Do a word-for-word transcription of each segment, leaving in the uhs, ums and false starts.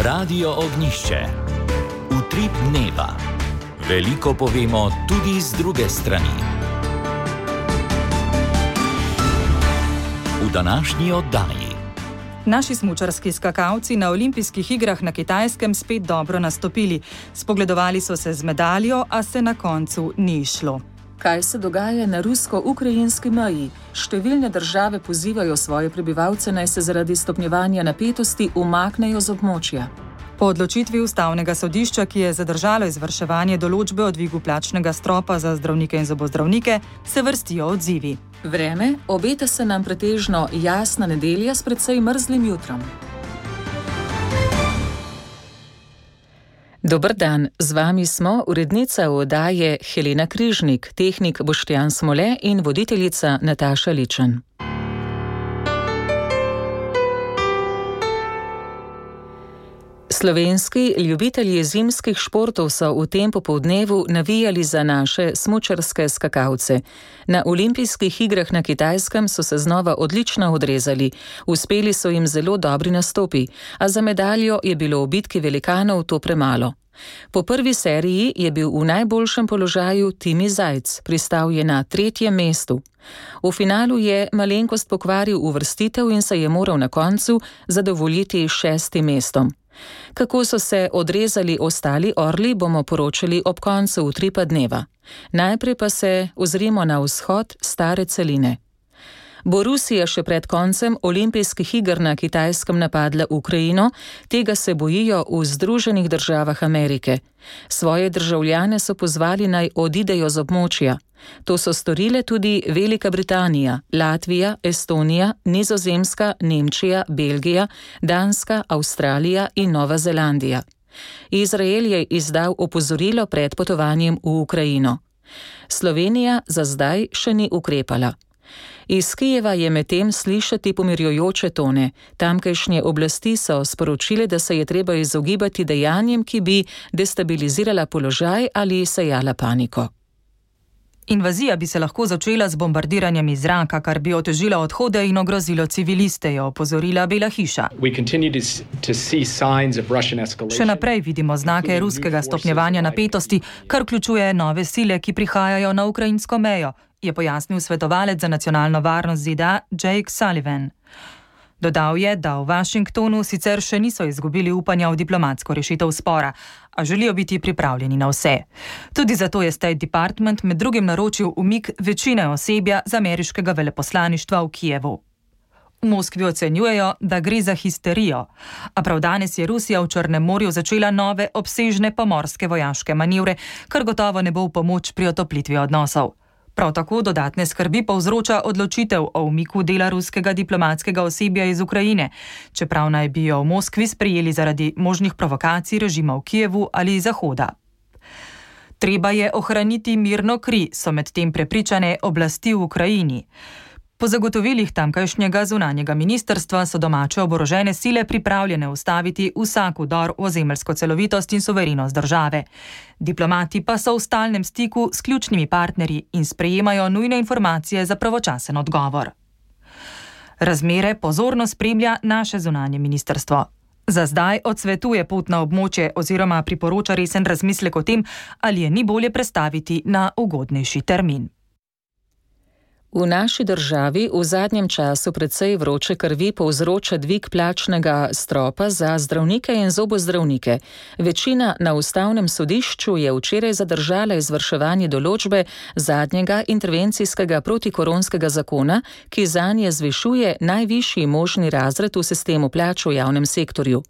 Radio Ognišče. Utrip dneva. Veliko povemo tudi z druge strani. V današnji oddaji. Naši smučarski skakalci na olimpijskih igrah na Kitajskem spet dobro nastopili. Spogledovali so se z medaljo, a se na koncu ni šlo. Kaj se dogaja na rusko-ukrajinski meji? Številne države pozivajo svoje prebivalce, naj se zaradi stopnjevanja napetosti umaknejo z območja. Po odločitvi ustavnega sodišča, ki je zadržalo izvrševanje določbe o dvigu plačnega stropa za zdravnike in zobozdravnike, se vrstijo odzivi. Vreme, obeta se nam pretežno jasna nedelja s precej mrzlim jutrom. Dober dan, z vami smo urednica oddaje Helena Križnik, tehnik Boštjan Smole in voditeljica Nataša Ličen. Slovenski ljubitelji zimskih športov so v tem popoldnevu navijali za naše smučarske skakalce. Na olimpijskih igrah na Kitajskem so se znova odlično odrezali, uspeli so jim zelo dobri nastopi, a za medaljo je bilo v bitki velikanov to premalo. Po prvi seriji je bil v najboljšem položaju Timi Zajc, pristal je na tretjem mestu. V finalu je malenkost pokvaril uvrstitev in se je moral na koncu zadovoljiti šestim mestom. Kako so se odrezali ostali orli, bomo poročali ob koncu utripa dneva. Najprej pa se ozrimo na vzhod stare celine. Bo Rusija še pred koncem olimpijskih iger na Kitajskem napadla Ukrajino, tega se bojijo v Združenih državah Amerike. Svoje državljane so pozvali naj odidejo z območja. To so storile tudi Velika Britanija, Latvija, Estonija, Nizozemska, Nemčija, Belgija, Danska, Avstralija in Nova Zelandija. Izrael je izdal opozorilo pred potovanjem v Ukrajino. Slovenija za zdaj še ni ukrepala. Iz Kijeva je medtem slišati pomirjujoče tone. Tamkajšnje oblasti so sporočile, da se je treba izogibati dejanjem, ki bi destabilizirala položaj ali sejala paniko. Invazija bi se lahko začela z bombardiranjem iz zraka, kar bi otežilo odhode in ogrozilo civiliste, je opozorila Bela hiša. Še naprej vidimo znake ruskega stopnjevanja napetosti, kar vključuje nove sile, ki prihajajo na ukrajinsko mejo, je pojasnil svetovalec za nacionalno varnost Z D A Jake Sullivan. Dodal je, da v Washingtonu sicer še niso izgubili upanja v diplomatsko rešitev spora, a želijo biti pripravljeni na vse. Tudi zato je State Department med drugim naročil umik večine osebja z ameriškega veleposlaništva v Kijevu. V Moskvi ocenjujejo, da gre za histerijo, a prav danes je Rusija v Črnem morju začela nove obsežne pomorske vojaške manevre, kar gotovo ne bo v pomoč pri otoplitvi odnosov. Prav tako dodatne skrbi povzroča odločitev o umiku dela ruskega diplomatskega osebja iz Ukrajine, čeprav naj bi jo v Moskvi sprejeli zaradi možnih provokacij režima v Kijevu ali Zahoda. Treba je ohraniti mirno kri, so medtem prepričane oblasti v Ukrajini. Po zagotovilih tamkajšnjega zunanjega ministrstva so domače oborožene sile pripravljene ustaviti vsak vdor v ozemeljsko celovitost in suverenost države. Diplomati pa so v stalnem stiku s ključnimi partnerji in sprejemajo nujne informacije za pravočasen odgovor. Razmere pozorno spremlja naše zunanje ministrstvo. Za zdaj odsvetuje pot na območje oziroma priporoča resen razmislek o tem, ali je ni bolje prestaviti na ugodnejši termin. V naši državi v zadnjem času precej vroče krvi povzroča dvig plačnega stropa za zdravnike in zobozdravnike. Večina na ustavnem sodišču je včeraj zadržala izvrševanje določbe zadnjega intervencijskega protikoronskega zakona, ki zanje zvišuje najvišji možni razred v sistemu plač v javnem sektorju.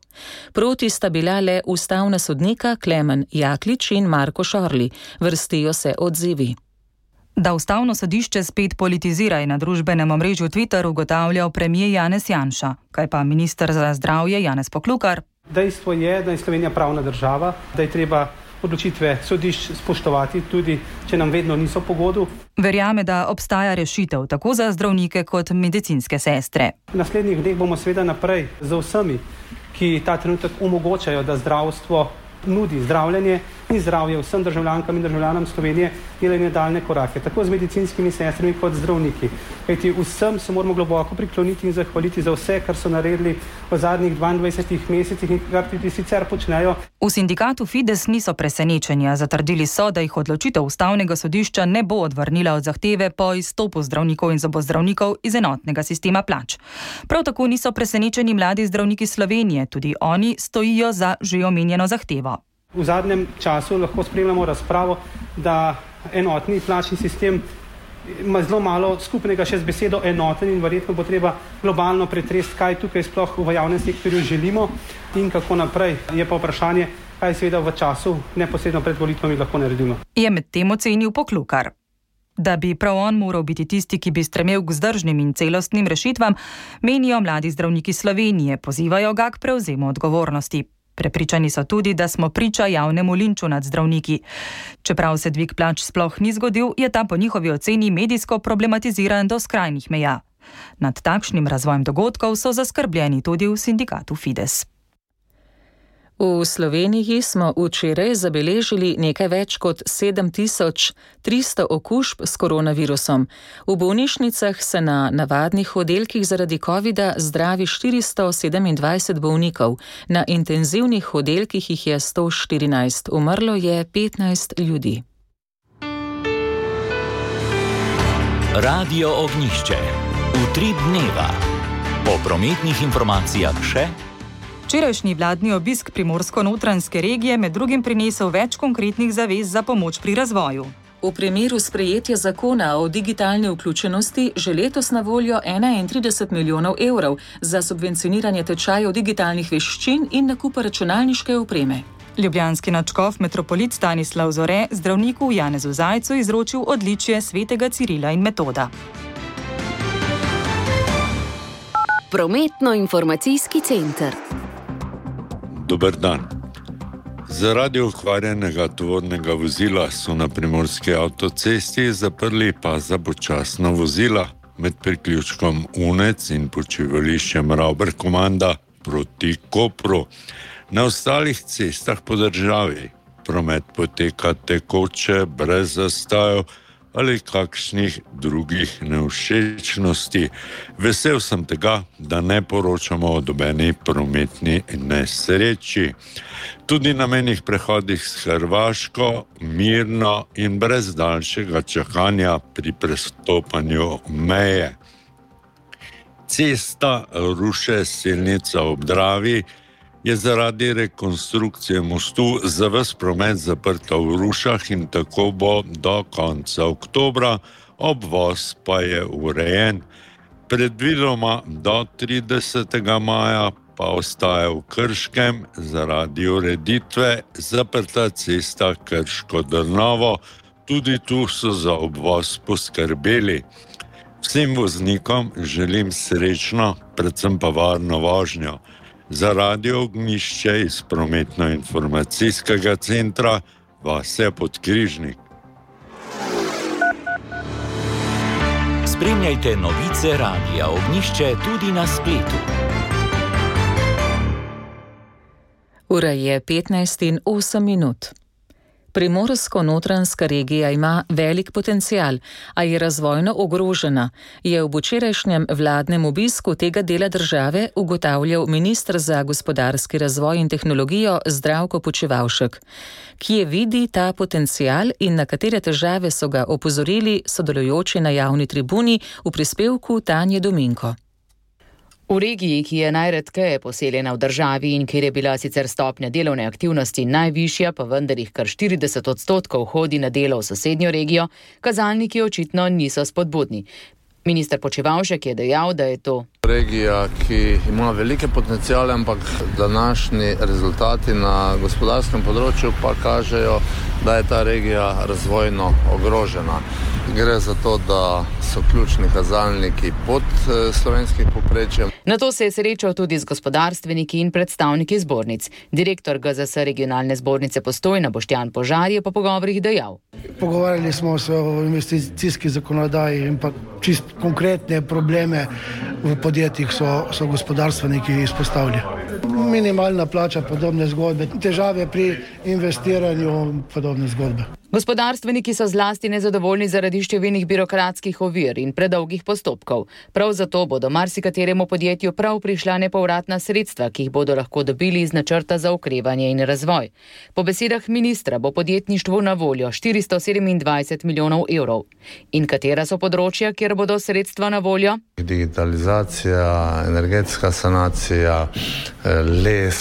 Proti sta bila le ustavna sodnika Klemen Jaklič in Marko Šorli. Vrstijo se odzivi. Da ustavno sodišče spet politizira in na družbenem omrežju Twitter ugotavljal premier Janez Janša. Kaj pa minister za zdravje Janez Poklukar? Dejstvo je, da je Slovenija pravna država, da je treba odločitve sodišč spoštovati, tudi če nam vedno niso po godu. Verjame, da obstaja rešitev tako za zdravnike kot medicinske sestre. V naslednjih dneh bomo seveda naprej z vsemi, ki ta trenutek omogočajo, da zdravstvo nudi zdravljenje, in zdravje vsem državljankam in državljanom Slovenije delali nadaljnje korake, tako z medicinskimi sestrami kot zdravniki. Kajti vsem se moramo globoko prikloniti in zahvaliti za vse, kar so naredili v zadnjih dvaindvajsetih mesecih in kar tudi sicer počnejo. V sindikatu Fides niso presenečenja. Zatrdili so, da jih odločitev ustavnega sodišča ne bo odvrnila od zahteve po izstopu zdravnikov in zobozdravnikov iz enotnega sistema plač. Prav tako niso presenečeni mladi zdravniki Slovenije, tudi oni stojijo za že omenjeno zahtevo. V zadnjem času lahko spremljamo razpravo, da enotni plačni sistem ima zelo malo skupnega še z besedo enoten in verjetno bo treba globalno pretresti, kaj tukaj sploh v javnem sektorju želimo in kako naprej. Je pa vprašanje, kaj seveda v času neposredno pred volitvami lahko naredimo. Je med tem ocenil Poklukar. Da bi prav on moral biti tisti, ki bi stremel k vzdržnim in celostnim rešitvam, menijo mladi zdravniki Slovenije, pozivajo ga k prevzemu odgovornosti. Prepričani so tudi, da smo priča javnemu linču nad zdravniki. Čeprav se dvig plač sploh ni zgodil, je ta po njihovi oceni medijsko problematiziran do skrajnih meja. Nad takšnim razvojem dogodkov so zaskrbljeni tudi v sindikatu Fides. V Sloveniji smo včeraj zabeležili nekaj več kot sedem tisoč tristo okužb s koronavirusom. V bolnišnicah se na navadnih oddelkih zaradi covida zdravi štiristo sedemindvajset bolnikov, na intenzivnih oddelkih jih je sto štirinajst, umrlo je petnajst ljudi. Radio Ognjišče. Utrip dneva. Po prometnih informacijah še. Včerajšnji vladni obisk Primorsko-notranjske regije med drugim prinesel več konkretnih zavez za pomoč pri razvoju. V primeru sprejetja zakona o digitalni vključenosti že letos na voljo enaintrideset milijonov evrov za subvencioniranje tečajev digitalnih veščin in nakupa računalniške opreme. Ljubljanski nadškof metropolit Stanislav Zore zdravniku Janezu Zajcu izročil odličje svetega Cirila in Metoda. Prometno-informacijski center. Dober dan. Zaradi okvarjenega tovornega vozila so na primorski avtocesti zaprli pas za počasna vozila med priključkom Unec in počivališčem Ravber Komanda proti Kopru. Na ostalih cestah po državi promet poteka tekoče, brez zastojev ali kakšnih drugih nevšečnosti. Vesel sem tega, da ne poročamo o nobeni prometni nesreči. Tudi na mejnih prehodih s Hrvaško mirno in brez daljšega čakanja pri prestopanju meje. Cesta Ruše-Selnica ob Dravi je zaradi rekonstrukcije mostu za ves promet zaprta v Rušah in tako bo do konca oktobra, obvoz pa je urejen. Predvidoma do tridesetega maja pa ostaja v Krškem zaradi ureditve zaprta cesta Krško-Drnovo, tudi tu so za obvoz poskrbeli. Vsem voznikom želim srečno, predvsem pa varno vožnjo. Za Radio Ognjišče iz prometno-informacijskega centra Vasja Podkrižnik. Spremljajte novice Radia Ognjišče tudi na spletu. Ura je petnajst in osem minut. Primorsko-notranjska regija ima velik potencial, a je razvojno ogrožena, je v včerajšnjem vladnem obisku tega dela države ugotavljal minister za gospodarski razvoj in tehnologijo Zdravko Počivalšek. Kje vidi ta potencial in na katere težave so ga opozorili sodelujoči na javni tribuni v prispevku Tanje Dominko. V regiji, ki je najredkeje poseljena v državi in kjer je bila sicer stopnja delovne aktivnosti najvišja, pa vendar jih kar štirideset odstotkov hodi na delo v sosednjo regijo, kazalniki očitno niso spodbudni. Minister Počivalšek je dejal, da je to regija, ki ima velike potencijale, ampak današnji rezultati na gospodarskem področju pa kažejo, da je ta regija razvojno ogrožena. Gre za to, da so ključni kazalniki pod slovenskim povprečjem. Na to se je srečal tudi z gospodarstveniki in predstavniki zbornic. Direktor G Z S regionalne zbornice Postojna Boštjan Požar je po pogovorih dejal. Pogovarjali smo se o investicijski zakonodaji in pa čist konkretne probleme v podjetju podjetjih so, so gospodarstveniki izpostavili. Minimalna plača, podobne zgodbe, težave pri investiranju, podobne zgodbe. Gospodarstveniki so zlasti nezadovoljni zaradi številnih birokratskih ovir in predolgih postopkov. Prav zato bodo marsikateremu podjetju prav prišla nepovratna sredstva, ki jih bodo lahko dobili iz načrta za okrevanje in razvoj. Po besedah ministra bo podjetništvu na voljo štiristo sedemindvajset milijonov evrov. In katera so področja, kjer bodo sredstva na voljo? Digitalizacija, energetska sanacija, les,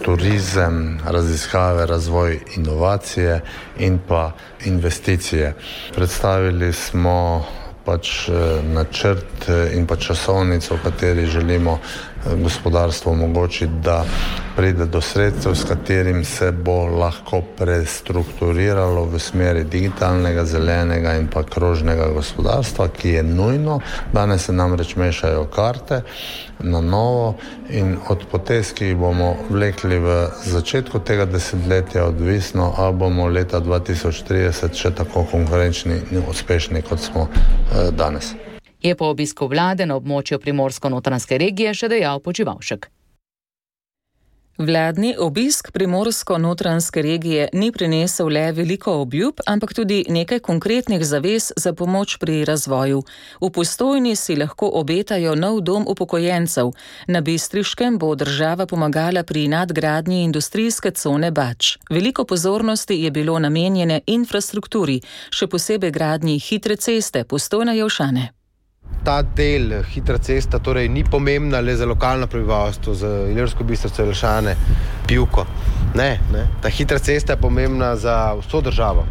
turizem, raziskave, razvoj, inovacije in pa investicije. Predstavili smo pač načrt in pa časovnico, v kateri želimo gospodarstvo omogočiti, da pride do sredstev, s katerim se bo lahko prestrukturiralo v smeri digitalnega, zelenega in pa krožnega gospodarstva, ki je nujno. Danes se namreč mešajo karte na novo in od potez, ki jih bomo vlekli v začetku tega desetletja, odvisno, ali bomo leta dva tisoč trideset še tako konkurenčni in uspešni, kot smo danes. Je po obisku vlade na območju Primorsko-Notranjske regije še dejal Počivavšek. Vladni obisk Primorsko-Notranjske regije ni prinesel le veliko obljub, ampak tudi nekaj konkretnih zavez za pomoč pri razvoju. V Postojni si lahko obetajo nov dom upokojencev. Na Bistriškem bo država pomagala pri nadgradnji industrijske cone Bač. Veliko pozornosti je bilo namenjene infrastrukturi, še posebej gradnji hitre ceste Postojna-Jelšane. Ta del hitra cesta torej ni pomembna le za lokalno prebivalstvo, za Ilirsko Bistrico, Jelšane, Pivko. Ne, ne. Ta hitra cesta je pomembna za vso državo,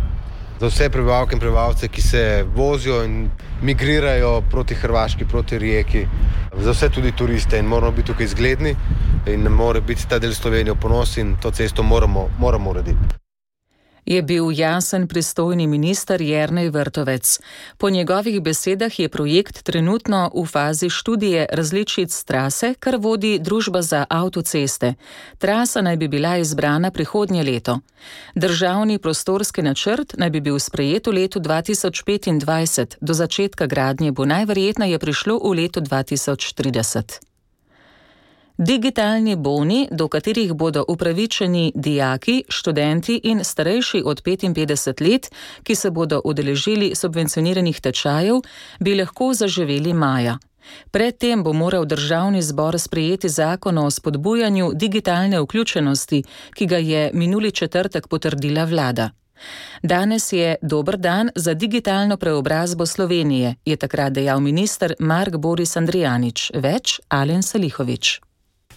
za vse prebivalke in prebivalce, ki se vozijo in migrirajo proti Hrvaški, proti Rijeki, za vse tudi turiste in moramo biti tukaj zgledni in mora biti ta del Slovenije v ponos in to cesto moramo, moramo urediti. Je bil jasen pristojni minister Jernej Vrtovec. Po njegovih besedah je projekt trenutno v fazi študije različic trase, kar vodi družba za avtoceste. Trasa naj bi bila izbrana prihodnje leto. Državni prostorski načrt naj bi bil sprejet v letu dva tisoč petindvajset, do začetka gradnje bo najverjetneje prišlo v letu dva tisoč trideset. Digitalni boni, do katerih bodo upravičeni dijaki, študenti in starejši od petinpetdeset let, ki se bodo udeležili subvencioniranih tečajev, bi lahko zaživeli maja. Predtem bo moral državni zbor sprejeti zakon o spodbujanju digitalne vključenosti, ki ga je minuli četrtek potrdila vlada. Danes je dober dan za digitalno preobrazbo Slovenije, je takrat dejal minister Mark Boris Andrijanič. Več Alen Salihovič.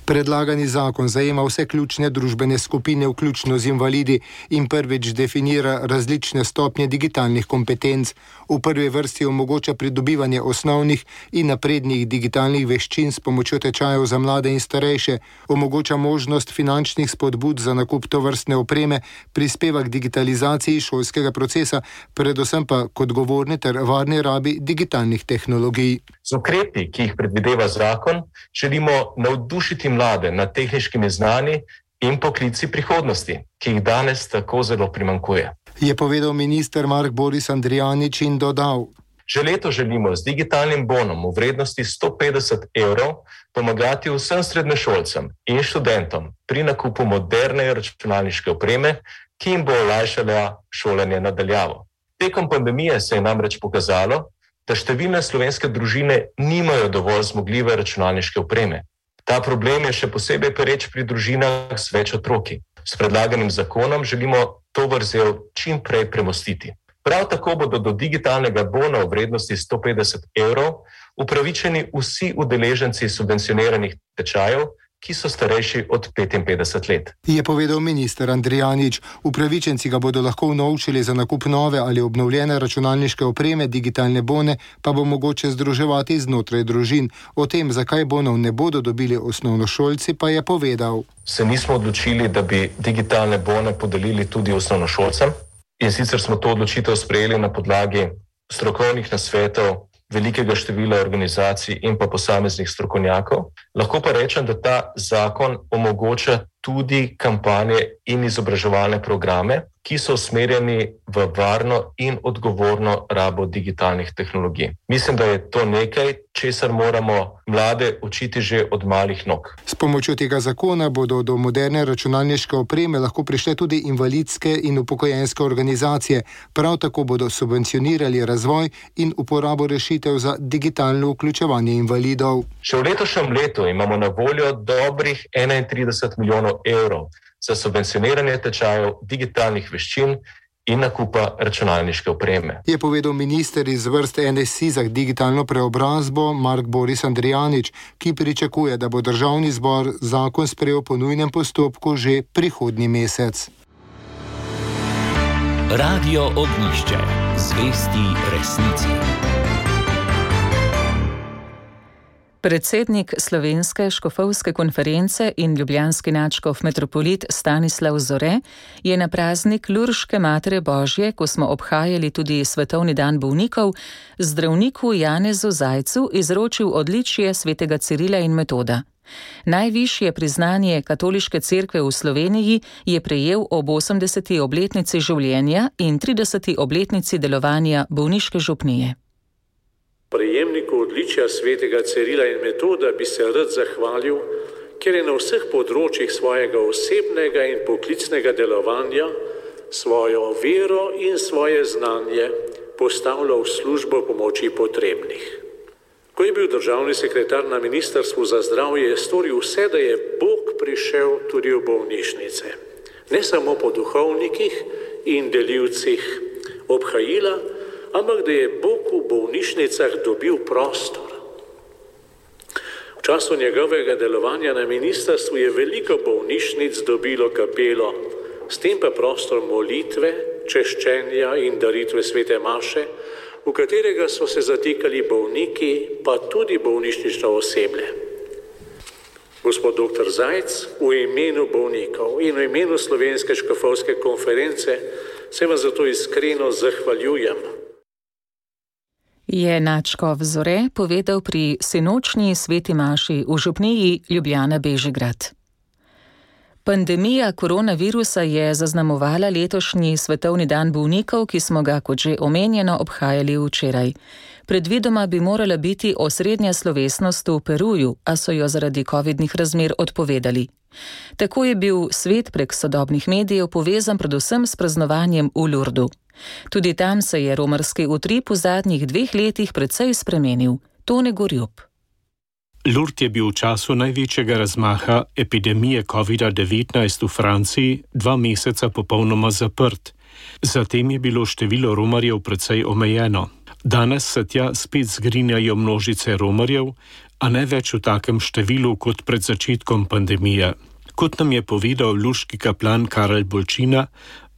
Predlagani zakon zajema vse ključne družbene skupine, vključno z invalidi, in prvič definira različne stopnje digitalnih kompetenc. V prvi vrsti omogoča pridobivanje osnovnih in naprednih digitalnih veščin s pomočjo tečajev za mlade in starejše, omogoča možnost finančnih spodbud za nakup tovrstne opreme, prispeva k digitalizaciji šolskega procesa, predvsem pa k odgovorni ter varni rabi digitalnih tehnologij. Z ukrepi, ki jih predvideva zakon, želimo navdušiti mlade nad tehničkimi znanji in poklici prihodnosti, ki jih danes tako zelo primanjkuje. Je povedal minister Mark Boris Andrijanič in dodal: Že leto želimo z digitalnim bonom v vrednosti sto petdeset evrov pomagati vsem srednješolcem in študentom pri nakupu moderne računalniške opreme, ki jim bo olajšala šolanje na daljavo. Tekom pandemije se je namreč pokazalo, da številne slovenske družine nimajo dovolj zmogljive računalniške opreme. Ta problem je še posebej pereč pri družinah z več otroki. S predlaganim zakonom želimo to vrzel čim prej premostiti. Prav tako bodo do digitalnega bona v vrednosti sto petdeset evrov upravičeni vsi udeleženci subvencioniranih tečajev, ki so starejši od petinpetdeset let. Je povedal minister Andrijanič. Upravičenci ga bodo lahko unovčili za nakup nove ali obnovljene računalniške opreme, digitalne bone pa bo mogoče združevati znotraj družin. O tem, zakaj bonov ne bodo dobili osnovnošolci, pa je povedal: Se nismo odločili, da bi digitalne bone podelili tudi osnovnošolcem, in sicer smo to odločitev sprejeli na podlagi strokovnih nasvetov velikega števila organizacij in pa posameznih strokovnjakov. Lahko pa rečem, da ta zakon omogoča tudi kampanje in izobraževalne programe, ki so usmerjeni v varno in odgovorno rabo digitalnih tehnologij. Mislim, da je to nekaj, česar moramo mlade učiti že od malih nog. S pomočjo tega zakona bodo do moderne računalniške opreme lahko prišle tudi invalidske in upokojenske organizacije. Prav tako bodo subvencionirali razvoj in uporabo rešitev za digitalno vključevanje invalidov. Še v letošnjem letu imamo na voljo dobrih enaintrideset milijonov evrov za subvencioniranje tečajev digitalnih veščin in nakupa računalniške opreme. Je povedal minister iz vrst N S I za digitalno preobrazbo Mark Boris Andrijanič, ki pričakuje, da bo državni zbor zakon sprejel po nujnem postopku že prihodnji mesec. Radio Ognjišče. Zvesti resnici. Predsednik Slovenske škofovske konference in ljubljanski nadškof metropolit Stanislav Zore je na praznik Lurške Matere Božje, ko smo obhajali tudi Svetovni dan bolnikov, zdravniku Janezu Zajcu izročil odličje svetega Cirila in Metoda. Najvišje priznanje Katoliške cerkve v Sloveniji je prejel ob osemdeseti obletnici življenja in trideseti obletnici delovanja bolniške župnije. Prejemniku odličja svetega Cirila in Metoda bi se rad zahvalil, ker je na vseh področjih svojega osebnega in poklicnega delovanja svojo vero in svoje znanje postavljal v službo pomoči potrebnih. Ko je bil državni sekretar na Ministrstvu za zdravje, je storil vse, da je Bog prišel tudi v bolnišnice. Ne samo po duhovnikih in delivcih obhajila, ampak da je Bog v bolnišnicah dobil prostor. V času njegovega delovanja na ministrstvu je veliko bolnišnic dobilo kapelo, s tem pa prostor molitve, češčenja in daritve svete maše, v katerega so se zatikali bolniki, pa tudi bolnišnično osebje. Gospod doktor Zajc, v imenu bolnikov in v imenu Slovenske škofovske konference se vam zato iskreno zahvaljujem. Je nadškof Zore povedal pri sinočnji sveti maši v župniji Ljubljana Bežigrad. Pandemija koronavirusa je zaznamovala letošnji Svetovni dan bolnikov, ki smo ga, kot že omenjeno, obhajali včeraj. Predvidoma bi morala biti osrednja slovesnost v Peruju, a so jo zaradi covidnih razmer odpovedali. Tako je bil svet prek sodobnih medijev povezan predvsem s praznovanjem v Lurdu. Tudi tam se je romarski utrip v zadnjih dveh letih precej spremenil. Tone Gorjup. Lourdes je bil v času največjega razmaha epidemije covida devetnajst v Franciji dva meseca popolnoma zaprt. Zatem je bilo število romarjev precej omejeno. Danes se tja spet zgrinjajo množice romarjev, a ne več v takem številu kot pred začetkom pandemije. Kot nam je povedal luški kaplan Karel Bolčina,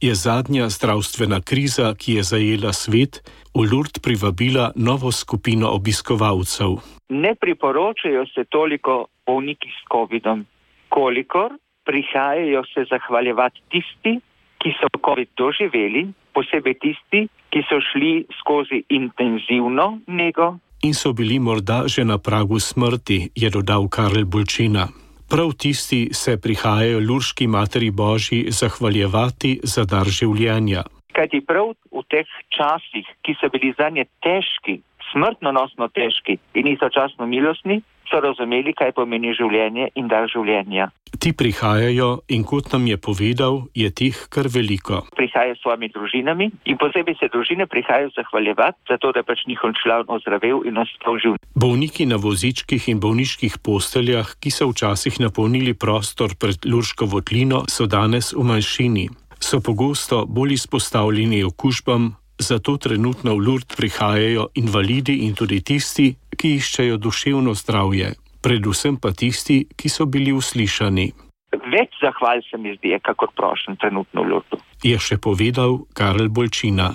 je zadnja zdravstvena kriza, ki je zajela svet, v Lourdes privabila novo skupino obiskovalcev. Ne priporočajo se toliko bolniki s covidom, kolikor prihajajo se zahvaljevati tisti, ki so covid doživeli, posebej tisti, ki so šli skozi intenzivno nego. In so bili morda že na pragu smrti, je dodal Karel Bolčina. Prav tisti se prihajajo Lurški Materi Božji zahvaljevati za dar življenja. Kajti prav v teh časih, ki so bili zanje težki, smrtnonosno težki in istočasno milostni, so razumeli, kaj pomeni življenje in dar življenja. Ti prihajajo in kot nam je povedal, je teh kar veliko. Prihajajo s svojimi družinami in posebej se družine prihajajo zahvaljevati, zato da pač njihov član ozdravel in ostal živ. Bolniki na vozičkih in bolniških posteljah, ki so včasih napolnili prostor pred Lurško votlino, so danes v manjšini. So pogosto bolj izpostavljeni okužbam, zato trenutno v Lourdes prihajajo invalidi in tudi tisti, ki iščejo duševno zdravje, predvsem pa tisti, ki so bili uslišani. Več zahval se mi zdi, kakor prošen trenutno v Lourdesu. Je še povedal Karel Bolčina.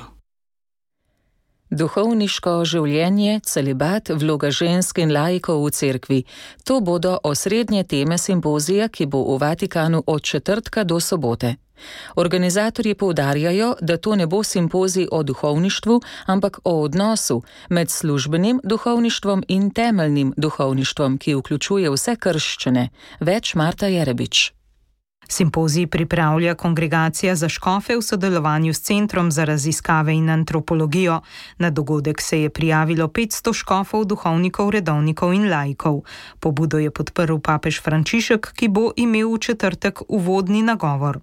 Duhovniško življenje, celibat, vloga žensk in laikov v cerkvi. To bodo osrednje teme simpozija, ki bo v Vatikanu od četrtka do sobote. Organizatorji poudarjajo, da to ne bo simpozij o duhovništvu, ampak o odnosu med službenim duhovništvom in temeljnim duhovništvom, ki vključuje vse krščane. Več Marta Jerebič. Simpozij pripravlja Kongregacija za škofe v sodelovanju s Centrom za raziskave in antropologijo. Na dogodek se je prijavilo petsto škofov, duhovnikov, redovnikov in laikov. Pobudo je podprl papež Frančišek, ki bo imel v četrtek uvodni nagovor.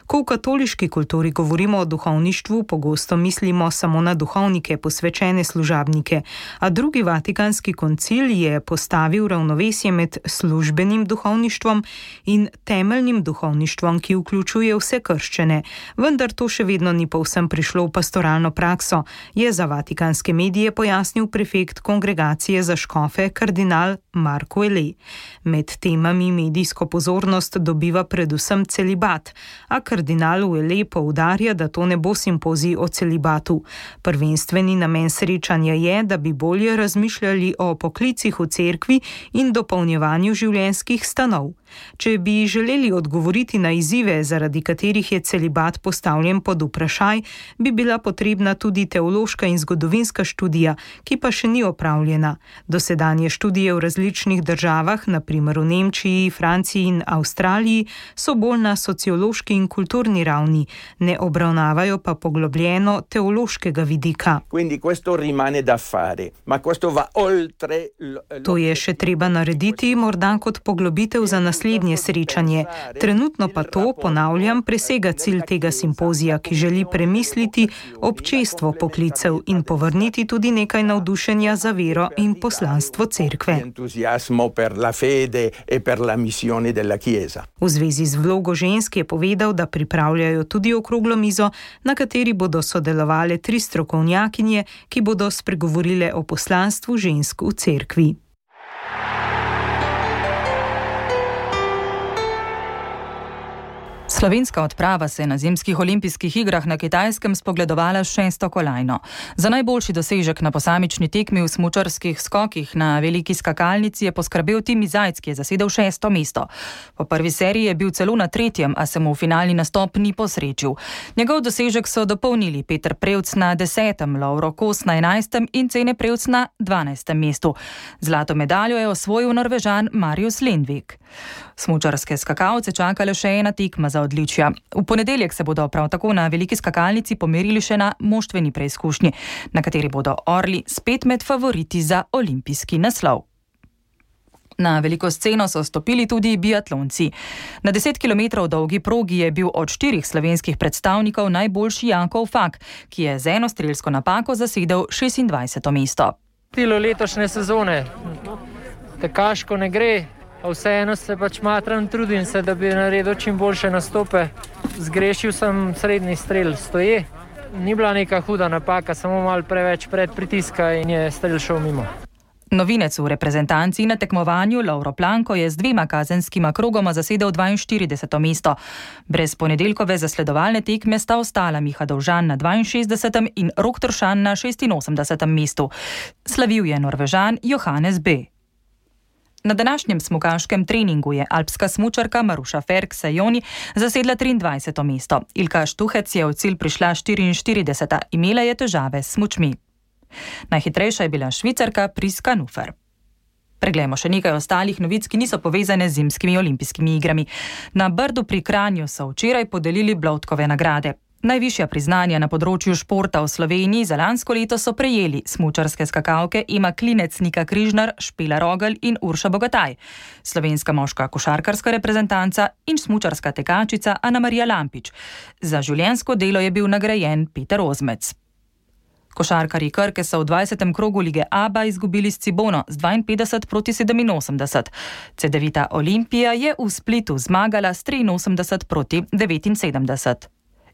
Ko v katoliški kulturi govorimo o duhovništvu, pogosto mislimo samo na duhovnike, posvečene služabnike, a drugi vatikanski koncil je postavil ravnovesje med službenim duhovništvom in temeljnim duhovništvom, ki vključuje vse krščene, vendar to še vedno ni povsem prišlo v pastoralno prakso, je za vatikanske medije pojasnil prefekt Kongregacije za škofe kardinal Marko Ele. Med temami medijsko pozornost dobiva predvsem celibat, a kardinal Uele poudarja, da to ne bo simpozij o celibatu. Prvenstveni namen srečanja je, da bi bolje razmišljali o poklicih v cerkvi in dopolnjevanju življenjskih stanov. Če bi želeli odgovoriti na izzive, zaradi katerih je celibat postavljen pod vprašaj, bi bila potrebna tudi teološka in zgodovinska študija, ki pa še ni opravljena. Dosedanje študije v različnih državah, na primer v Nemčiji, Franciji in Avstraliji, so bolj na sociološki in kulturni ravni, ne obravnavajo pa poglobljeno teološkega vidika. To je še treba narediti, morda kot poglobitev za naslednje srečanje. Trenutno pa to, ponavljam, presega cilj tega simpozija, ki želi premisliti občestvo poklicev in povrniti tudi nekaj navdušenja za vero in poslanstvo cerkve. V zvezi z vlogo žensk je povedal, da pripravljajo tudi okroglo mizo, na kateri bodo sodelovale tri strokovnjakinje, ki bodo spregovorile o poslanstvu žensk v cerkvi. Slovenska odprava se je na zimskih olimpijskih igrah na Kitajskem spogledovala s šesto kolajno. Za najboljši dosežek na posamični tekmi v smučarskih skokih na veliki skakalnici je poskrbel Timi Zajc, ki je zasedel šesto mesto. Po prvi seriji je bil celo na tretjem, a se mu v finalni nastop ni posrečil. Njegov dosežek so dopolnili Peter Prevc na desetem, Lovro Kos na enajstem in Cene Prevc na dvanajstem mestu. Zlato medaljo je osvojil Norvežan Marius Lindvik. Smučarske skakalce čakale še ena tekma za odličja. V ponedeljek se bodo prav tako na veliki skakalnici pomerili še na moštveni preizkušnji, na kateri bodo orli spet med favoriti za olimpijski naslov. Na veliko sceno so stopili tudi biatlonci. Na deset kilometrov dolgi progi je bil od štirih slovenskih predstavnikov najboljši Jakov Fak, ki je z eno strelsko napako zasedel šestindvajseto mesto. Stilo letošnje sezone. Tekaško ne gre. Vseeno se pač matram, trudim se, da bi naredil čim boljše nastope. Zgrešil sem srednji strel, stoje. Ni bila neka huda napaka, samo malo preveč pred pritiska in je strel šel mimo. Novinec v reprezentanci na tekmovanju Lovro Planko je z dvema kazenskima krogoma zasedel dvainštirideseto mesto. Brez ponedeljkove zasledovalne tekme sta ostala Miha Dovžan na dvainšestdesetem in Rok Tršan na šestinosemdesetem mestu. Slavil je Norvežan Johannes B. Na današnjem smukaškem treningu je alpska smučarka Maruša Ferk-Sajoni zasedla triindvajseto mesto. Ilka Štuhec je v cilj prišla štiriinštirideseta, imela je težave s smučmi. Najhitrejša je bila Švicarka Priska Nufer. Preglejmo še nekaj ostalih novic, ki niso povezane z zimskimi olimpijskimi igrami. Na Brdu pri Kranju so včeraj podelili Bloudkove nagrade. Najvišja priznanja na področju športa v Sloveniji za lansko leto so prejeli smučarske skakalke Ema Klinec, Nika Križnar, Špela Rogelj in Urša Bogataj, slovenska moška košarkarska reprezentanca in smučarska tekačica Ana Marija Lampič. Za življenjsko delo je bil nagrajen Peter Ozmec. Košarkarji Krke so v dvajsetem krogu lige Aba izgubili s Cibono z dvainpetdeset proti sedeminosemdeset. Cedevita Olimpija je v Splitu zmagala s triinosemdeset proti devetinsedemdeset.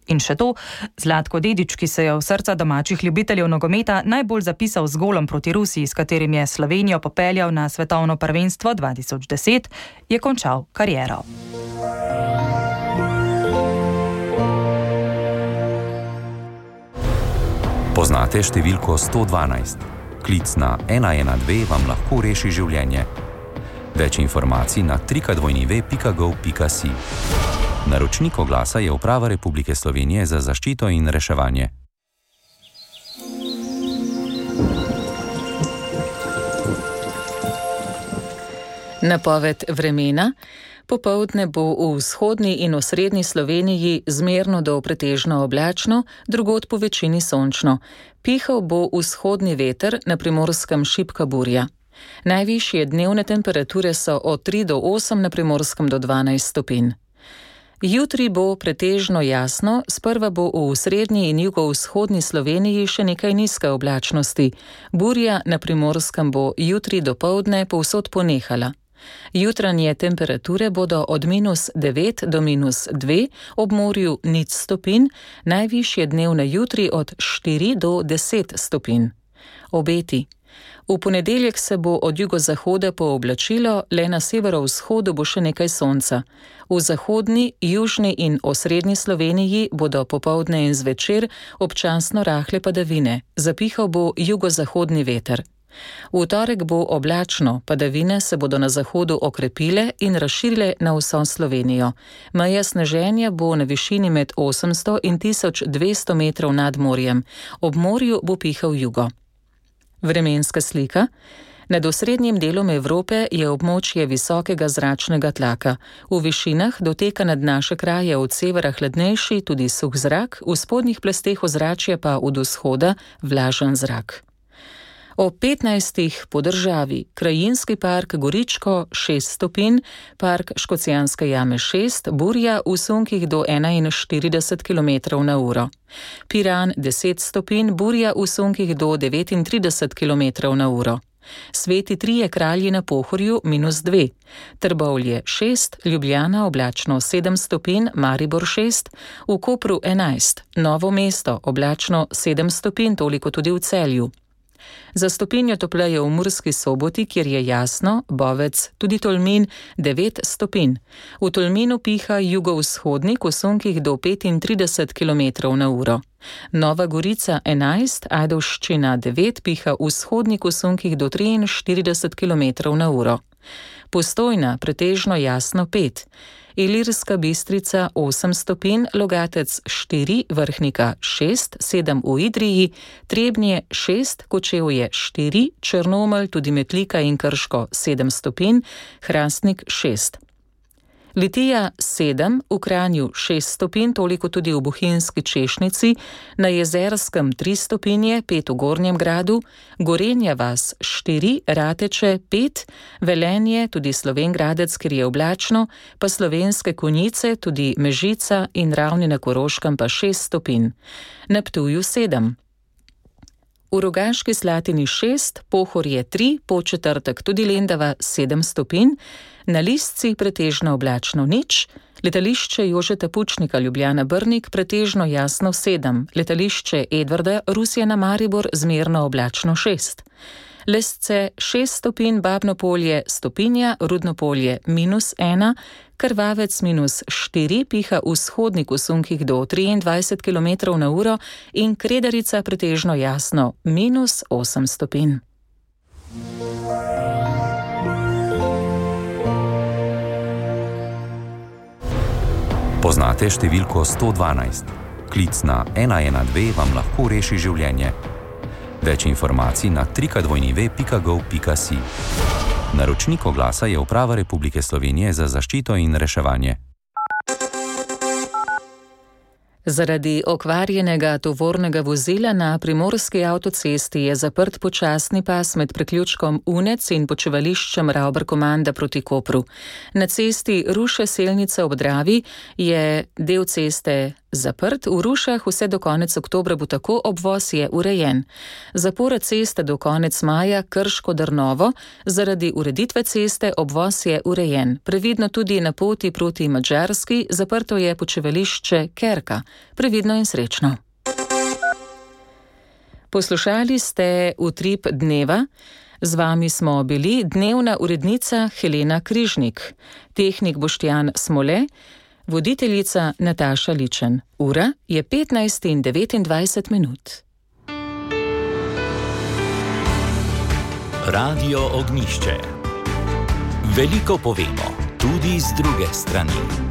In še to, Zlatko Dedič, ki se je v srca domačih ljubiteljev nogometa najbolj zapisal z golom proti Rusiji, s katerim je Slovenijo popeljal na svetovno prvenstvo dva tisoč deset, je končal kariero. Poznate številko sto dvanajst? Klic na ena ena dve vam lahko reši življenje. Več informacij na www pika gov pika si. Naročnik oglasa je Uprava Republike Slovenije za zaščito in reševanje. Napoved vremena. Popoldne bo v vzhodni in osrednji Sloveniji zmerno do pretežno oblačno, drugod po večini sončno. Pihal bo vzhodni veter, na Primorskem šibka burja. Najvišje dnevne temperature so od tri do osem, na Primorskem do dvanajst stopinj. Jutri bo pretežno jasno, sprva bo v srednji in jugovzhodni Sloveniji še nekaj nizke oblačnosti. Burja na Primorskem bo jutri dopoldne povsod ponehala. Jutranje temperature bodo od minus devet do minus dve, ob morju nič stopinj, najvišje dnevne jutri od štiri do deset stopinj. Obeti. V ponedeljek se bo od jugozahoda pooblačilo, le na severovzhodu bo še nekaj sonca. V zahodni, južni in osrednji Sloveniji bodo popoldne in zvečer občasno rahle padavine, zapihal bo jugozahodni veter. V torek bo oblačno, padavine se bodo na zahodu okrepile in razširile na vso Slovenijo. Meja sneženja bo na višini med osemsto in tisoč dvesto metrov nad morjem. Ob morju bo pihal jugo. Vremenska slika. Nad osrednjim delom Evrope je območje visokega zračnega tlaka. V višinah doteka nad naše kraje od severa hladnejši, tudi suh zrak, v spodnjih plasteh ozračja pa od vzhoda vlažen zrak. Ob petnajstih po državi Krajinski park Goričko šest stopinj, park Škocjanske jame šest, burja v sunkih do enainštirideset kilometrov na uro. Piran deset stopinj, burja v sunkih do devetintrideset kilometrov na uro. Sveti Trije kralji na Pohorju minus dve. Trbovlje šest, Ljubljana oblačno sedem stopinj, Maribor šest, v Kopru enajst, Novo mesto oblačno sedem stopinj, toliko tudi v Celju. Za stopinjo topleje v Murski Soboti, kjer je jasno, Bovec, tudi Tolmin devet stopinj. V Tolminu piha jugovzhodnik v sunkih do petintrideset kilometrov na uro. Nova Gorica enajst, Ajdovščina devet, piha vzhodnik v sunkih do triinštirideset kilometrov na uro. Postojna pretežno jasno pet. Ilirska Bistrica osem stopinj, Logatec štiri, Vrhnika šest, sedem v Idriji, Trebnje šest, Kočevje štiri, Črnomelj, tudi Metlika in Krško sedem stopinj, Hrastnik šest. Litija sedem, v Kranju šest stopinj, toliko tudi v Bohinjski Češnici, na Jezerskem tri stopinje, pet v Gornjem Gradu, Gorenja vas štiri, Rateče pet, Velenje, tudi Slovenj Gradec, kjer je oblačno, pa Slovenske Konjice, tudi Mežica in Ravni na Koroškem pa šest stopinj. Na Ptuju sedem. V Rogaški Slatini šest, Pohorje tri, Podčetrtek tudi Lendava sedem stopinj, na Listci pretežno oblačno nič, letališče Jožeta Pučnika Ljubljana Brnik pretežno jasno sedem, letališče Edvarda Rusija na Maribor zmerno oblačno šest. Lesce šest stopinj, Babno Polje stopinja, Rudno Polje minus ena, Krvavec minus štiri, piha vzhodnik v sunkih do triindvajset kilometrov na uro in Kredarica pretežno jasno minus osem stopinj. Poznate številko sto dvanajst? Klic na ena ena dve vam lahko reši življenje. Več informacij na trika dvojni ve pika gov pika si. Naročnik oglasa je Uprava Republike Slovenije za zaščito in reševanje. Zaradi okvarjenega tovornega vozila na primorski avtocesti je zaprt počasni pas med priključkom Unec in počivališčem Ravbarkomanda proti Kopru. Na cesti Ruše-Selnica ob Dravi je del ceste zaprt, v Rušah vse do konec oktobra bo tako, obvoz je urejen. Zapora ceste do konec maja Krško-Drnovo, zaradi ureditve ceste obvoz je urejen. Previdno tudi na poti proti Madžarski, zaprto je počivališče Kerka. Previdno in srečno. Poslušali ste Utrip dneva. Z vami smo bili dnevna urednica Helena Križnik, tehnik Boštjan Smole, voditeljica Nataša Ličen. Ura je petnajst in devetindvajset minut. Radio Ognjišče. Veliko povemo, tudi z druge strani.